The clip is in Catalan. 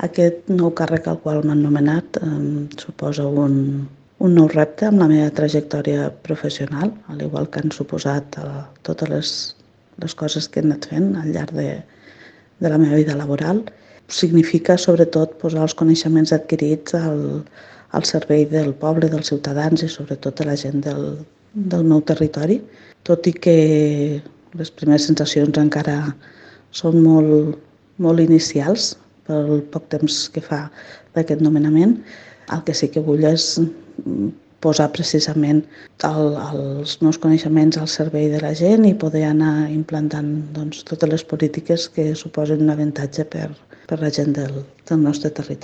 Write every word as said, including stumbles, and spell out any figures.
Aquest nou càrrec al qual m'han nomenat eh, suposa un, un nou repte amb la meva trajectòria professional, al igual que han suposat eh, totes les, les coses que he anat fent al llarg de, de la meva vida laboral. Significa, sobretot, posar els coneixements adquirits al, al servei del poble, dels ciutadans i sobretot de la gent del, del meu territori. Tot i que les primeres sensacions encara són molt, molt inicials pel poc temps que fa d'aquest nomenament, el que sí que vull és posar precisament el, els meus coneixements al servei de la gent i poder anar implantant doncs, totes les polítiques que suposen un avantatge per, per la gent del, del nostre territori.